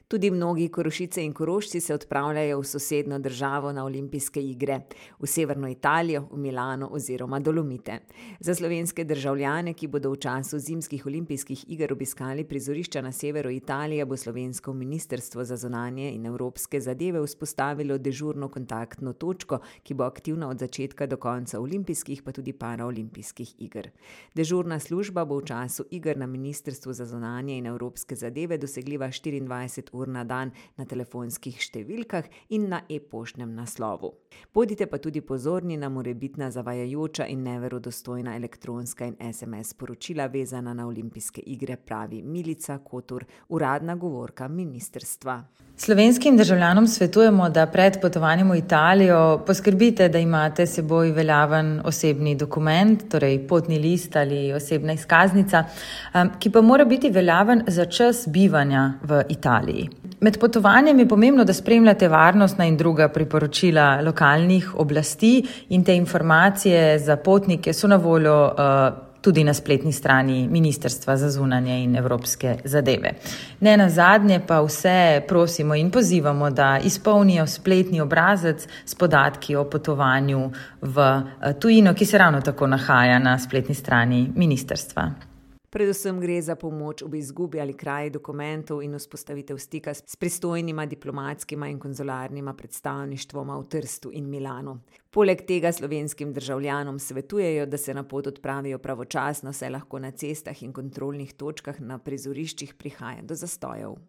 Tudi mnogi Korošice in Korošci se odpravljajo v sosednjo državo na olimpijske igre, v severno Italijo, v Milano oziroma Dolomite. Za slovenske državljane, ki bodo v času zimskih olimpijskih iger obiskali prizorišča na severu Italije, bo slovensko ministrstvo za zunanje in evropske zadeve vzpostavilo dežurno kontaktno točko, ki bo aktivna od začetka do konca olimpijskih pa tudi paraolimpijskih iger. Dežurna služba bo v času iger na ministrstvu za zunanje in evropske zadeve dosegljiva 24 ur na dan na telefonskih številkah in na e-poštnem naslovu. Bodite pa tudi pozorni na morebitna zavajajoča in neverodostojna elektronska in SMS sporočila vezana na olimpijske igre, pravi Milica Kotur, uradna govorka ministrstva. Slovenskim državljanom svetujemo, da pred potovanjem v Italijo poskrbite, da imate s seboj veljaven osebni dokument, torej potni list ali osebna izkaznica, ki pa mora biti veljaven za čas bivanja v Italiji. Med potovanjem je pomembno, da spremljate varnostna in druga priporočila lokalnih oblasti in te informacije za potnike so na voljo tudi na spletni strani Ministrstva za zunanje in evropske zadeve. Ne nazadnje pa vse prosimo in pozivamo, da izpolnijo spletni obrazec s podatki o potovanju v tujino, ki se ravno tako nahaja na spletni strani ministrstva. Predvsem gre za pomoč ob izgubi ali kraji dokumentov in vzpostavitev stika s pristojnima diplomatskima in konzularnima predstavništvoma v Trstu in Milanu. Poleg tega slovenskim državljanom svetujejo, da se na pot odpravijo pravočasno, saj lahko na cestah in kontrolnih točkah na prizoriščih prihaja do zastojev.